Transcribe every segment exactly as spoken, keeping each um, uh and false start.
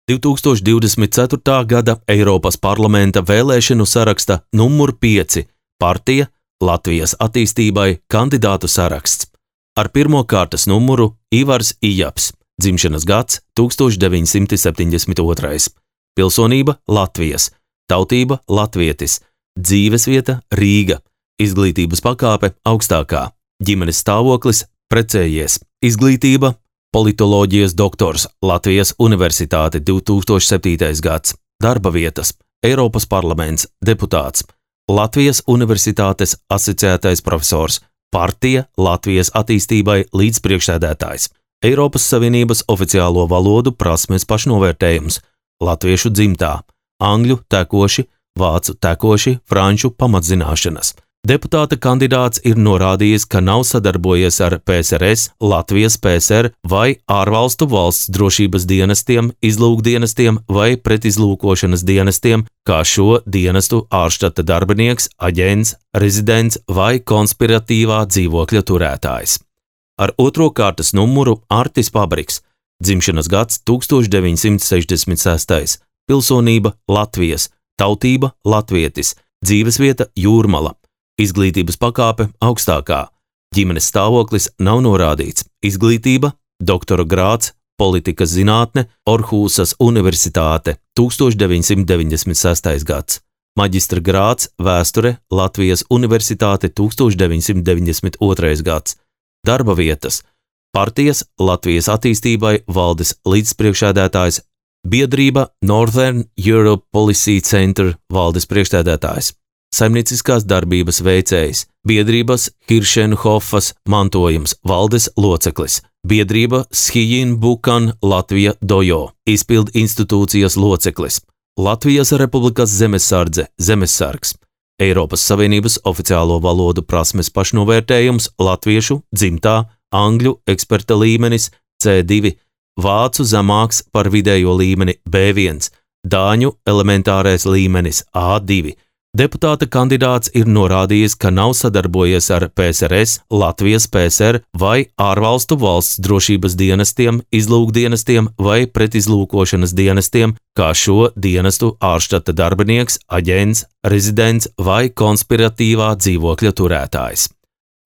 divtūkstoš divdesmit ceturtā gada Eiropas parlamenta vēlēšanu saraksta numur pieci partija Latvijas attīstībai kandidātu saraksts. Ar pirmo kārtas numuru Ivars Ijaps, dzimšanas gads tūkstoš deviņsimt septiņdesmit otrais, pilsonība Latvijas, tautība latvietis, dzīvesvieta Rīga, izglītības pakāpe augstākā, ģimenes stāvoklis precējies, izglītība politoloģijas doktors Latvijas Universitāte divtūkstoš septītais gads, darba vietas Eiropas parlaments, deputāts, Latvijas Universitātes asociētais profesors, partija Latvijas attīstībai līdzpriekšsēdētājs, Eiropas Savienības oficiālo valodu prasmes pašnovērtējums, latviešu dzimtā, angļu tekoši, vācu tekoši, franču pamatzināšanas. Deputāta kandidāts ir norādījis, ka nav sadarbojies ar P S R S, Latvijas P S R vai ārvalstu valsts drošības dienestiem, izlūkdienestiem vai pretizlūkošanas dienestiem, kā šo dienestu ārštata darbinieks, aģents, rezidents vai konspiratīvā dzīvokļa turētājs. Ar otro kārtas numuru Artis Pabriks, dzimšanas gads tūkstoš deviņsimt sešdesmit sestais, pilsonība Latvijas, tautība latvietis, dzīvesvieta Jūrmala, izglītības pakāpe augstākā, ģimenes stāvoklis nav norādīts, izglītība, doktora grāds, politikas zinātne, Orhūsas Universitāte, tūkstoš deviņsimt deviņdesmit sestais gads, maģistra grāds, vēsture, Latvijas Universitāte, tūkstoš deviņsimt deviņdesmit otrais gads, darba vietas, partijas Latvijas attīstībai valdes līdzpriekšsēdētājs, biedrība Northern Europe Policy Center valdes priekšsēdētājs, saimnieciskās darbības veicējs, biedrības Hiršenhofas mantojums valdes loceklis, biedrība Schijin Bukan Latvija Dojo, izpildu institūcijas loceklis, Latvijas Republikas zemesardze zemesargs, Eiropas Savienības oficiālo valodu prasmes pašnovērtējums latviešu dzimtā, angļu eksperta līmenis C divi, vācu zemāks par vidējo līmeni B viens, dāņu elementārais līmenis A divi. Deputāta kandidāts ir norādījis, ka nav sadarbojies ar P S R S, Latvijas P S R vai ārvalstu valsts drošības dienestiem, izlūkdienestiem vai pretizlūkošanas dienestiem, kā šo dienestu ārštata darbinieks, aģents, rezidents vai konspiratīvā dzīvokļa turētājs.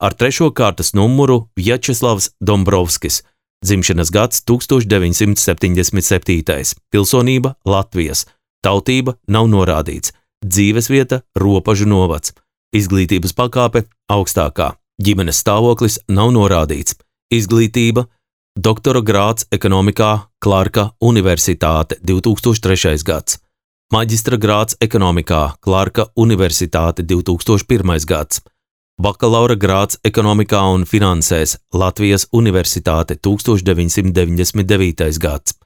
Ar trešo kārtas numuru Vjačeslavs Dombrovskis, dzimšanas gads tūkstoš deviņsimt septiņdesmit septītais, pilsonība Latvijas, tautība nav norādīts, dzīvesvieta Ropažu novads, izglītības pakāpe augstākā, ģimenes stāvoklis nav norādīts, izglītība, doktora grāds ekonomikā Clarka Universitāte divtūkstoš trešais gads, maģistra grāds ekonomikā Clarka Universitāte divtūkstoš pirmais gads, bakalaura grāds ekonomikā un finansēs Latvijas Universitāte tūkstoš deviņsimt deviņdesmit devītais gads,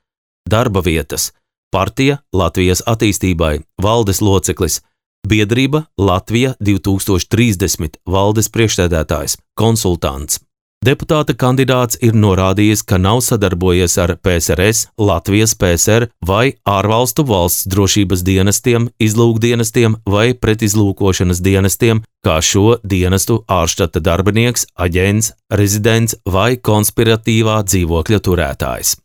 darba vietas, partija Latvijas attīstībai, valdes loceklis, biedrība Latvija divtūkstoš trīsdesmit, valdes priekšsēdētājs, konsultants. Deputāta kandidāts ir norādījis, ka nav sadarbojies ar P S R S, Latvijas P S R vai ārvalstu valsts drošības dienestiem, izlūkdienestiem vai pretizlūkošanas dienestiem, kā šo dienestu ārštata darbinieks, aģents, rezidents vai konspiratīvā dzīvokļa turētājs.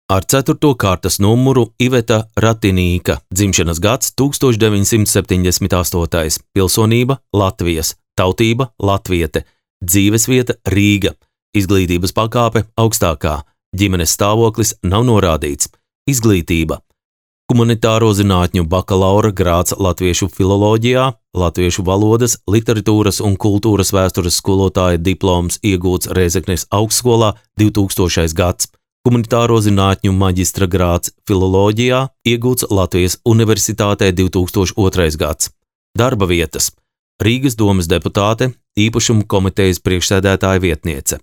Ar ceturto kārtas numuru Iveta Ratinīka, dzimšanas gads tūkstoš deviņsimt septiņdesmit astotais, pilsonība Latvijas, tautība latviete, dzīvesvieta Rīga, izglītības pakāpe augstākā, ģimenes stāvoklis nav norādīts, izglītība, humanitāro zinātņu bakalaura grāds latviešu filoloģijā, latviešu valodas, literatūras un kultūras vēstures skolotāja diploms iegūts Rēzeknes augstskolā divtūkstošais gads, humanitāro zinātņu maģistra grāds filoloģijā, iegūts Latvijas Universitātē divtūkstoš otrais gads. Darba vietas – Rīgas domes deputāte, īpašumu komitejas priekšsēdētāja vietniece,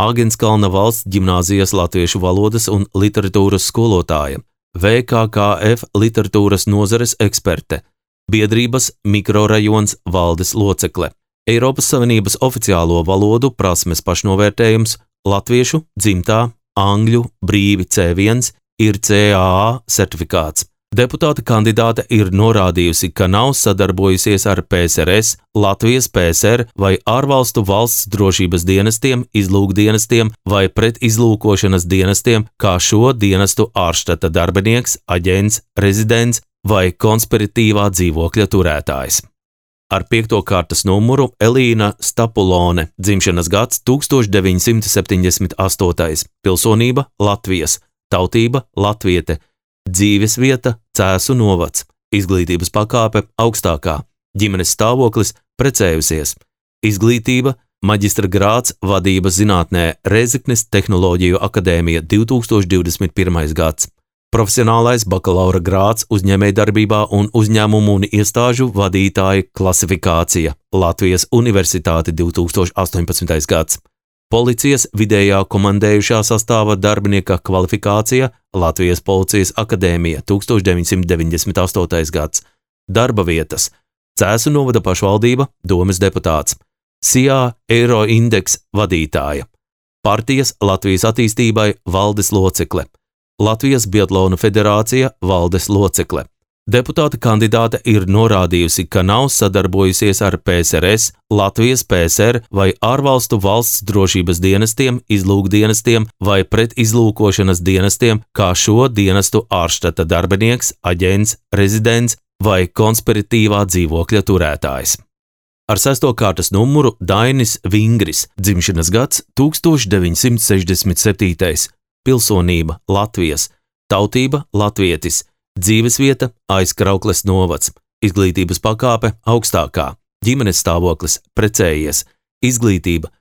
Āgenskalna valsts ģimnāzijas latviešu valodas un literatūras skolotāja, V K K F literatūras nozares eksperte, biedrības mikrorajons valdes locekle, Eiropas Savienības oficiālo valodu prasmes pašnovērtējums, latviešu dzimtā, angļu brīvi C viens ir C A A certifikāts, Deputāta kandidāte ir norādījusi, ka nav sadarbojusies ar P S R S, Latvijas P S R vai ārvalstu valsts drošības dienestiem, izlūkdienestiem vai pretizlūkošanas dienestiem, kā šo dienestu ārštata darbinieks, aģents, rezidents vai konspiratīvā dzīvokļa turētājs. Ar piekto kārtas numuru Elīna Stapulone, dzimšanas gads tūkstoš deviņi simti septiņdesmit astotais, pilsonība Latvijas, tautība latviete, dzīves vieta Cēsu novads, izglītības pakāpe augstākā, ģimenes stāvoklis precējusies, izglītība maģistra grāds vadības zinātnē Rēzeknes Tehnoloģiju akadēmija divi tūkstoši divdesmit pirmais gads, profesionālais bakalaura grāds uzņēmējdarbībā un uzņēmumu un iestāžu vadītāja klasifikācija Latvijas Universitāte divi tūkstoši astoņpadsmitais gads, policijas vidējā komandējušā sastāva darbinieka kvalifikācija Latvijas Policijas akadēmija tūkstoš deviņi simti deviņdesmit astotais gads, darba vietas Cēsu novada pašvaldība, domes deputāts, S I A Eiroindeks vadītāja, partijas Latvijas attīstībai valdes locekle, Latvijas Biatlona federācija valdes locekle. Deputāta kandidāte ir norādījusi, ka nav sadarbojusies ar P S R S, Latvijas P S R vai ārvalstu valsts drošības dienestiem, izlūkdienestiem vai pretizlūkošanas dienestiem, kā šo dienestu ārštata darbinieks, aģents, rezidents vai konspiratīvā dzīvokļa turētājs. Ar sesto kārtas numuru Dainis Vingris, dzimšanas gads tūkstoš deviņi simti sešdesmit septītais, pilsonība Latvijas, tautība latvietis, dzīvesvieta Aizkraukles novads, izglītības pakāpe augstākā, ģimenes stāvoklis precējies, izglītība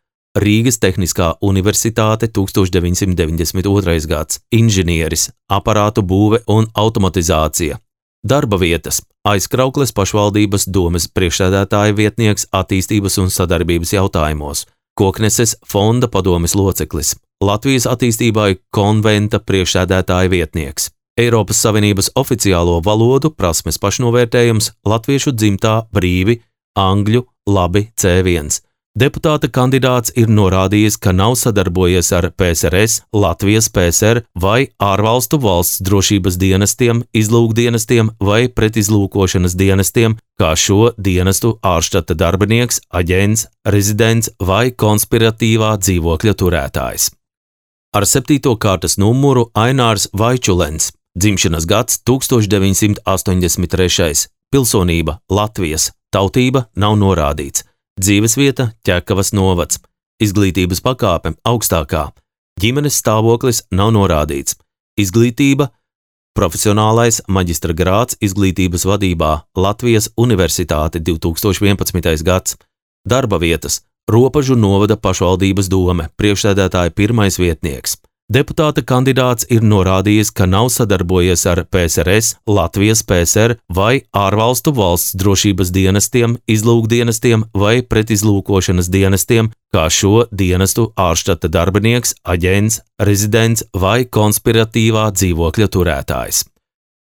Rīgas Tehniskā universitāte tūkstoš deviņi simti deviņdesmit otrais gads, inženieris, aparātu būve un automatizācija, darba vietas Aizkraukles pašvaldības domes priekšsēdētāja vietnieks attīstības un sadarbības jautājumos, Kokneses fonda padomes loceklis, Latvijas attīstībai konventa priekšsēdētāja vietnieks, Eiropas Savienības oficiālo valodu prasmes pašnovērtējums latviešu dzimtā brīvi, angļu labi C viens. Deputāta kandidāts ir norādījis, ka nav sadarbojies ar P S R S, Latvijas P S R vai ārvalstu valsts drošības dienestiem, izlūkdienestiem vai pretizlūkošanas dienestiem, kā šo dienestu ārštata darbinieks, aģents, rezidents vai konspiratīvā dzīvokļa turētājs. Ar septīto kārtas numuru Ainārs Vaičulens, dzimšanas gads tūkstoš deviņi simti astoņdesmit trešais, pilsonība Latvijas, tautība nav norādīts, dzīvesvieta Ķekavas novads, izglītības pakāpe augstākā, ģimenes stāvoklis nav norādīts, izglītība profesionālais maģistra grāds izglītības vadībā Latvijas Universitāte divi tūkstoši vienpadsmitais gads, darba vietas Ropažu novada pašvaldības dome, priekšsēdētāja pirmais vietnieks. Deputāta kandidāts ir norādījis, ka nav sadarbojies ar P S R S, Latvijas P S R vai ārvalstu valsts drošības dienestiem, izlūkdienestiem vai pretizlūkošanas dienestiem, kā šo dienestu ārštata darbinieks, aģents, rezidents vai konspiratīvā dzīvokļa turētājs.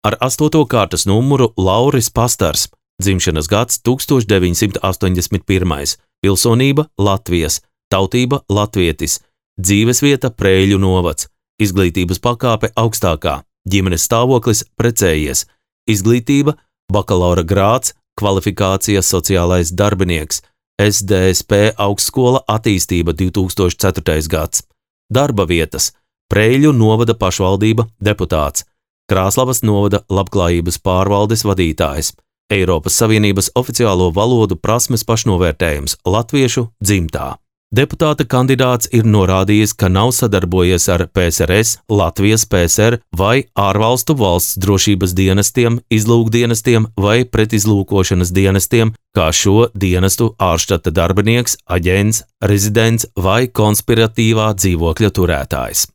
Ar astoto kārtas numuru Lauris Pastars, dzimšanas gads tūkstoš deviņi simti astoņdesmit pirmais, pilsonība Latvijas, tautība latvietis, dzīvesvieta Prēļu novads, izglītības pakāpe augstākā, ģimenes stāvoklis precējies, izglītība bakalaura grāds, kvalifikācija sociālais darbinieks, S D S P augstskola attīstība divi tūkstoši ceturtais gads, darba vietas Prēļu novada pašvaldība deputāts, Krāslavas novada labklājības pārvaldes vadītājs, Eiropas Savienības oficiālo valodu prasmes pašnovērtējums latviešu dzimtā. Deputāta kandidāts ir norādījis, ka nav sadarbojies ar P S R S, Latvijas P S R vai ārvalstu valsts drošības dienestiem, izlūkdienestiem vai pretizlūkošanas dienestiem, kā šo dienestu ārštata darbinieks, aģents, rezidents vai konspiratīvā dzīvokļa turētājs.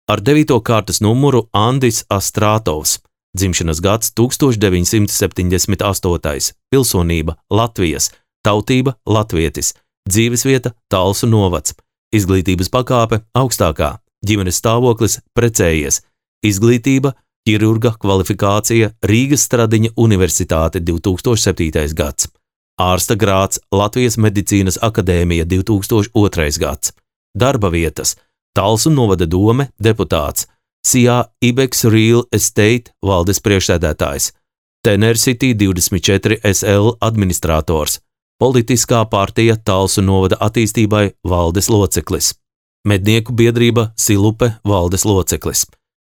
Ar devīto kārtas numuru Andis Astrātovs, dzimšanas gads tūkstoš deviņi simti septiņdesmit astotais, pilsonība Latvijas, tautība latvietis, dzīvesvieta Talsu novads, izglītības pakāpe augstākā, ģimenes stāvoklis precējies, izglītība ķirurga kvalifikācija Rīgas Stradiņa Universitāte divi tūkstoši septītais gads, ārsta grāds Latvijas medicīnas akadēmija divi tūkstoši otrais gads, darba vietas Talsu novada dome deputāts, C I A Ibex Real Estate valdes priekšsēdētājs, Tenercity divdesmit četri S L administrators, Politiskā partija Talsu novada attīstībai valdes loceklis, Mednieku biedrība Silupe valdes loceklis,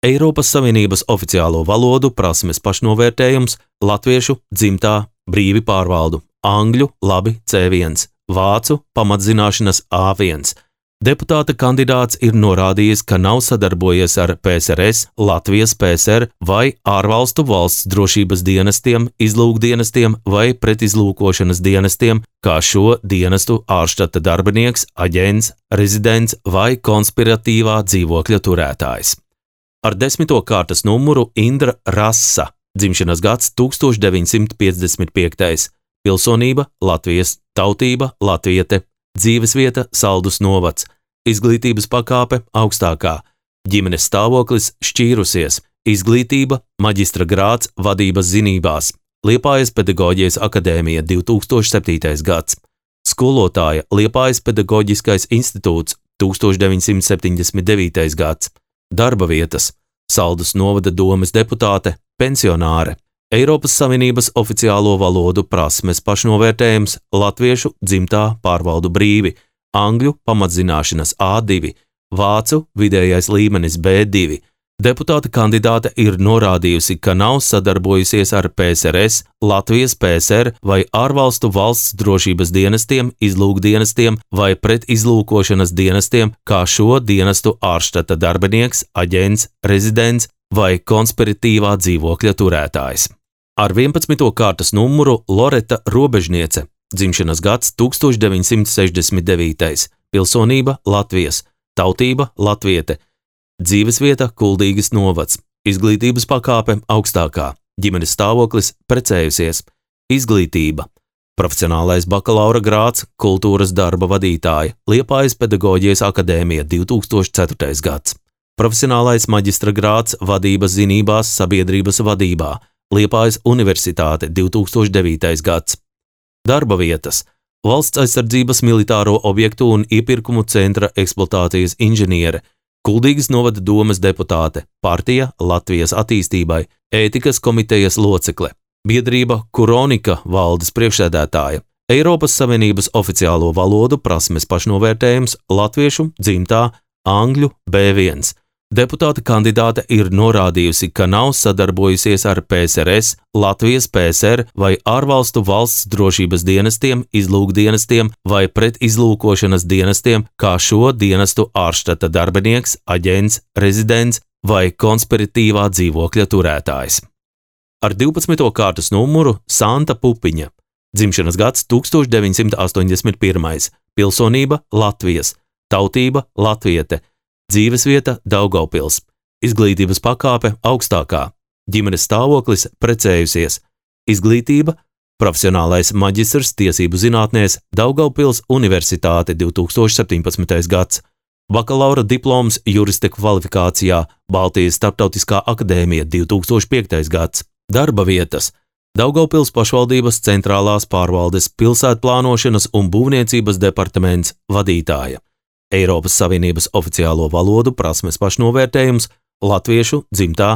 Eiropas Savienības oficiālo valodu prasmes pašnovērtējums latviešu dzimtā brīvi pārvaldu, angļu labi C viens, vācu pamatzināšanas A viens. Deputāta kandidāts ir norādījis, ka nav sadarbojies ar P S R S, Latvijas P S R vai ārvalstu valsts drošības dienestiem, izlūkdienestiem vai pretizlūkošanas dienestiem, kā šo dienestu ārštata darbinieks, aģents, rezidents vai konspiratīvā dzīvokļa turētājs. Ar desmito kārtas numuru Indra Rasa, dzimšanas gads tūkstoš deviņsimt piecdesmit piektais, pilsonība Latvijas, tautība latviete, dzīvesvieta Saldus novads, izglītības pakāpe augstākā, ģimenes stāvoklis šķīrusies, izglītība maģistra grāds vadības zinībās, Liepājas pedagoģijas akadēmija divi tūkstoši septītais gads, skolotāja Liepājas pedagoģiskais institūts tūkstoš deviņsimt septiņdesmit devītais gads, darba vietas Saldus novada domes deputāte, pensionāre, Eiropas Savienības oficiālo valodu prasmes pašnovērtējums latviešu dzimtā pārvaldu brīvi, angļu pamatzināšanas A divi, vācu vidējais līmenis B divi. Deputāta kandidāte ir norādījusi, ka nav sadarbojusies ar P S R S, Latvijas P S R vai ārvalstu valsts drošības dienestiem, izlūkdienestiem vai pretizlūkošanas dienestiem, kā šo dienestu ārštata darbinieks, aģents, rezidents vai konspiratīvā dzīvokļa turētājs. Ar vienpadsmito kārtas numuru Loreta Robežniece, dzimšanas gads tūkstoš deviņsimt sešdesmit devītais, pilsonība Latvijas, tautība latviete, dzīvesvieta Kuldīgas novads, izglītības pakāpe augstākā, ģimenes stāvoklis precējusies, izglītība, profesionālais bakalaura grāds, kultūras darba vadītāja, Liepājas pedagoģijas akadēmija divi tūkstoši ceturtais gads. Profesionālais maģistra grāds vadības zinībās sabiedrības vadībā, Liepājas universitāte divi tūkstoši devītais gads. Darba vietas – valsts aizsardzības militāro objektu un iepirkumu centra eksploatācijas inženiere, Kuldīgas novada domes deputāte, partija Latvijas attīstībai, ētikas komitejas locekle, biedrība Kuronika valdes priekšsēdētāja, Eiropas Savienības oficiālo valodu prasmes pašnovērtējums latviešu dzimtā angļu B viens. Deputāta kandidāte ir norādījusi, ka nav sadarbojusies ar P S R S, Latvijas P S R vai ārvalstu valsts drošības dienestiem, izlūkdienestiem vai pretizlūkošanas dienestiem, kā šo dienestu ārštata darbinieks, aģents, rezidents vai konspiratīvā dzīvokļa turētājs. Ar divpadsmito kārtas numuru Santa Pupiņa, dzimšanas gads tūkstoš deviņsimt astoņdesmit pirmais, pilsonība Latvijas, tautība latviete, dzīvesvieta Daugavpils, izglītības pakāpe augstākā, ģimenes stāvoklis precējusies, izglītība, profesionālais maģistrs tiesību zinātnēs Daugavpils Universitāte divi tūkstoši septiņpadsmitais gads, bakalaura diploms jurista kvalifikācijā Baltijas starptautiskā akadēmija divi tūkstoši piektais gads, darba vietas Daugavpils pašvaldības centrālās pārvaldes pilsētplānošanas un būvniecības departaments vadītāja. Eiropas Savienības oficiālo valodu prasmes pašnovērtējums latviešu dzimtā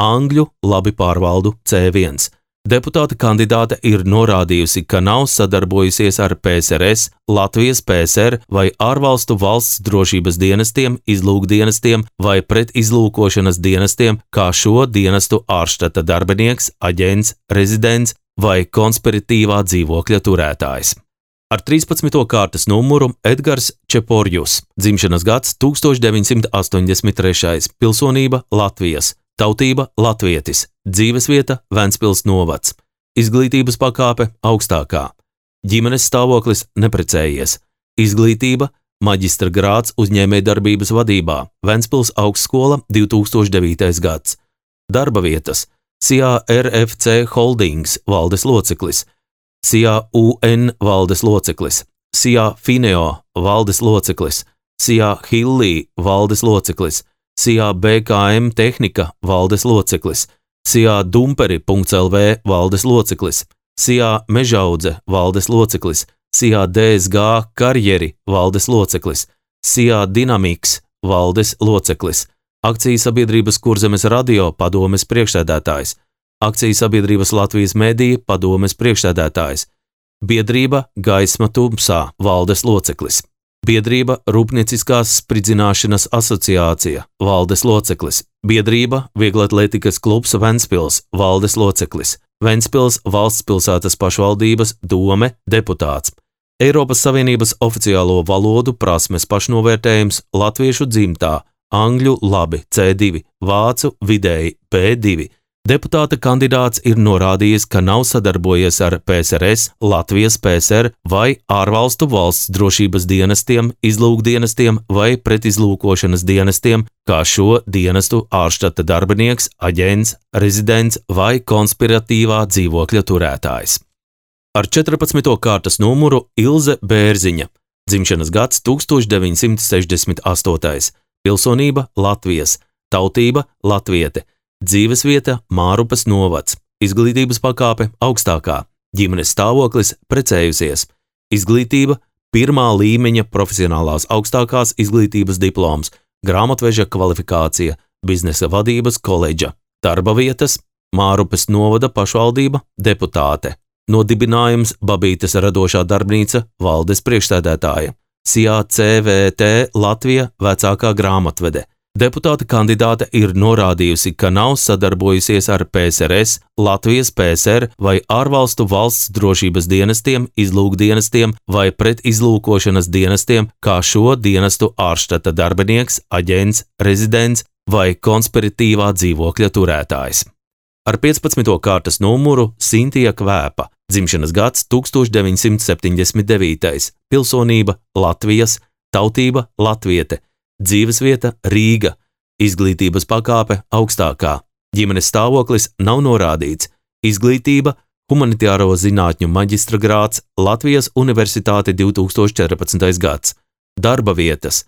angļu labi pārvaldu C viens. Deputāta kandidāte ir norādījusi, ka nav sadarbojusies ar P S R S, Latvijas P S R vai ārvalstu valsts drošības dienestiem, izlūkdienestiem vai pretizlūkošanas dienestiem, kā šo dienestu ārštata darbinieks, aģents, rezidents vai konspiratīvā dzīvokļa turētājs. Ar trīspadsmito kārtas numuru Edgars Čeporjus, dzimšanas gads tūkstoš deviņsimt astoņdesmit trešais, pilsonība Latvijas, tautība latvietis, dzīvesvieta Ventspils novads, izglītības pakāpe augstākā, ģimenes stāvoklis neprecējies, izglītība, maģistra grāds uzņēmējdarbības vadībā, Ventspils augstskola divi tūkstoši devītais gads, darba vietas, C I A R F C Holdings valdes loceklis, C I A U N valdes loceklis, C I A Fineo valdes loceklis, C I A Hilli valdes loceklis, C I A B K M Tehnika valdes loceklis, C I A Dumperi punkts L V valdes loceklis, C I A Mežaudze valdes loceklis, C I A D S G Karjeri valdes loceklis, C I A Dynamics valdes loceklis, Akciju sabiedrības Kurzemes radio padomes priekšsēdētājs, Akciju sabiedrības Latvijas medija padomes priekšsēdētājs, Biedrība Gaisma tumsā valdes loceklis, Biedrība Rūpnieciskās spridzināšanas asociācija valdes loceklis, Biedrība Vieglatlētikas klubs Ventspils valdes loceklis, Ventspils valsts pilsētas pašvaldības dome deputāts, Eiropas Savienības oficiālo valodu prasmes pašnovērtējums latviešu dzimtā, angļu labi C divi, vācu vidēji B divi. Deputāta kandidāts ir norādījis, ka nav sadarbojies ar P S R S, Latvijas P S R vai ārvalstu valsts drošības dienestiem, izlūkdienestiem vai pretizlūkošanas dienestiem, kā šo dienestu ārštata darbinieks, aģents, rezidents vai konspiratīvā dzīvokļa turētājs. Ar četrpadsmito kārtas numuru Ilze Bērziņa, dzimšanas gads tūkstoš deviņsimt sešdesmit astotais, pilsonība Latvijas, tautība latviete, dzīvesvieta Mārupes novads, izglītības pakāpe augstākā, ģimenes stāvoklis precējusies, izglītība pirmā līmeņa profesionālās augstākās izglītības diploms, grāmatveža kvalifikācija, biznesa vadības koledža, darba vietas Mārupes novada pašvaldība deputāte, nodibinājums Babītes radošā darbnīca valdes priekšsēdētāja, S I A C V T Latvija vecākā grāmatvede. Deputāta kandidāte ir norādījusi, ka nav sadarbojusies ar P S R S, Latvijas P S R vai ārvalstu valsts drošības dienestiem, izlūkdienestiem vai pretizlūkošanas dienestiem, kā šo dienestu ārštata darbinieks, aģents, rezidents vai konspiratīvā dzīvokļa turētājs. Ar piecpadsmito kārtas numuru Sintija Kvēpa, dzimšanas gads tūkstoš deviņsimt septiņdesmit devītais, pilsonība Latvijas, tautība latviete, dzīvesvieta Rīga, izglītības pakāpe augstākā, ģimenes stāvoklis nav norādīts, izglītība humanitāro zinātņu maģistra grāds, Latvijas Universitāte divs tūkstoš četrpadsmitais gads, darba vietas,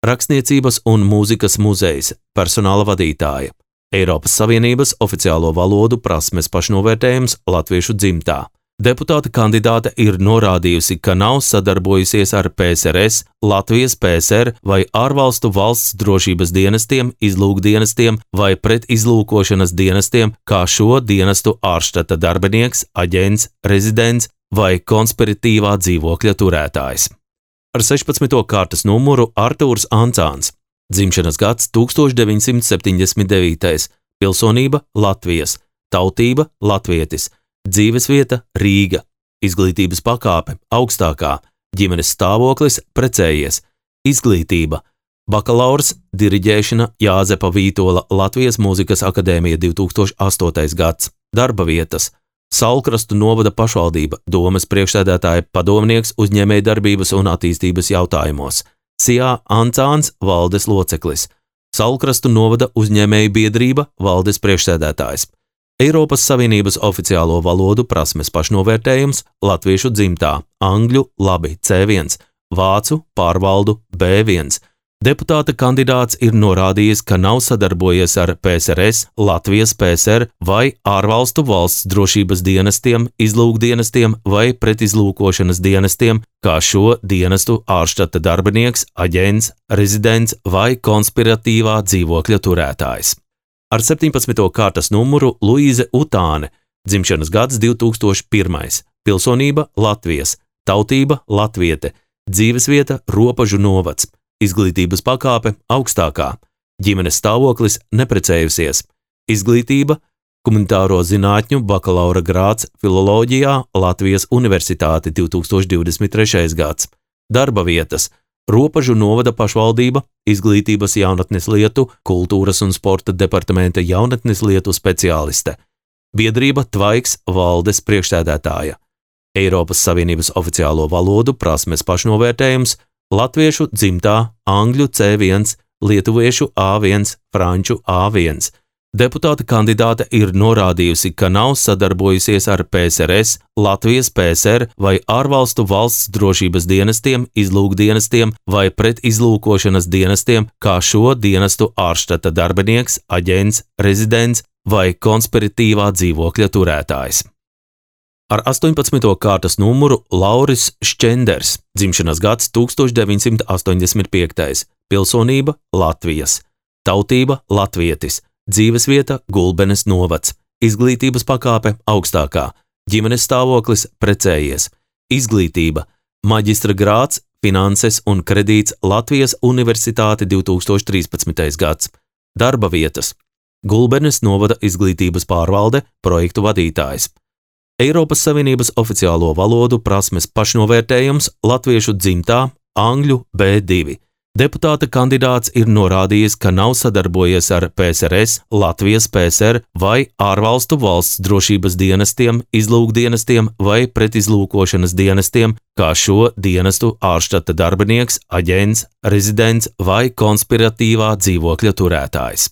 rakstniecības un mūzikas muzejs, personāla vadītāja, Eiropas Savienības oficiālo valodu prasmes pašnovērtējums latviešu dzimtā. Deputāta kandidāte ir norādījusi, ka nav sadarbojusies ar P S R S, Latvijas P S R vai ārvalstu valsts drošības dienestiem, izlūkdienestiem vai pretizlūkošanas dienestiem, kā šo dienestu ārštata darbinieks, aģents, rezidents vai konspiratīvā dzīvokļa turētājs. Ar sešpadsmito kārtas numuru Artūrs Ancāns, dzimšanas gads tūkstoš deviņsimt septiņdesmit devītais, pilsonība Latvijas, tautība latvietis, dzīvesvieta Rīga, izglītības pakāpe augstākā, ģimenes stāvoklis precējies, izglītība, bakalaurs, diriģēšana Jāzepa Vītola Latvijas mūzikas akadēmija divs tūkstoš astotais gads, darba vietas, Saulkrastu novada pašvaldība, domes priekšsēdētāja padomnieks uzņēmējdarbības un attīstības jautājumos, S I A Ancāns valdes loceklis, Saulkrastu novada uzņēmēju biedrība valdes priekšsēdētājs, Eiropas Savienības oficiālo valodu prasmes pašnovērtējums latviešu dzimtā, angļu labi C viens, vācu pārvaldu B viens. Deputāta kandidāts ir norādījis, ka nav sadarbojies ar P S R S, Latvijas P S R vai ārvalstu valsts drošības dienestiem, izlūkdienestiem vai pretizlūkošanas dienestiem, kā šo dienestu ārštata darbinieks, aģents, rezidents vai konspiratīvā dzīvokļa turētājs. Ar septiņpadsmito kārtas numuru Luīze Utāne, dzimšanas gads divs tūkstoš pirmais, pilsonība Latvijas, tautība latviete, dzīvesvieta Ropažu novads, izglītības pakāpe augstākā, ģimenes stāvoklis neprecējusies, izglītība humanitāro zinātņu bakalaura grāds filoloģijā Latvijas Universitāte divs tūkstoš divdesmit trešais gads, darba vietas Ropažu novada pašvaldība, izglītības jaunatnes lietu, kultūras un sporta departamenta jaunatnes lietu speciāliste, biedrība Tvaiks valdes priekšsēdētāja, Eiropas Savienības oficiālo valodu prasmes pašnovērtējums latviešu dzimtā, angļu C viens, lietuviešu A viens, franču A viens. Deputāta kandidāte ir norādījusi, ka nav sadarbojusies ar P S R S, Latvijas P S R vai ārvalstu valsts drošības dienestiem, izlūkdienestiem vai pretizlūkošanas dienestiem, kā šo dienestu ārštata darbinieks, aģents, rezidents vai konspiratīvā dzīvokļa turētājs. Ar astoņpadsmito kārtas numuru Lauris Šķenders, dzimšanas gads tūkstoš deviņsimt astoņdesmit piektais, pilsonība Latvijas, tautība latvietis, dzīvesvieta Gulbenes novads, izglītības pakāpe augstākā, ģimenes stāvoklis precējies, izglītība, maģistra grāds, finanses un kredīts Latvijas Universitāte divi tūkstoši trīspadsmitais gads, darba vietas, Gulbenes novada izglītības pārvalde, projektu vadītājs. Eiropas Savienības oficiālo valodu prasmes pašnovērtējums latviešu dzimtā, angļu B divi. Deputāta kandidāts ir norādījis, ka nav sadarbojies ar P S R S, Latvijas P S R vai ārvalstu valsts drošības dienestiem, izlūkdienestiem vai pretizlūkošanas dienestiem, kā šo dienestu ārštata darbinieks, aģents, rezidents vai konspiratīvā dzīvokļa turētājs.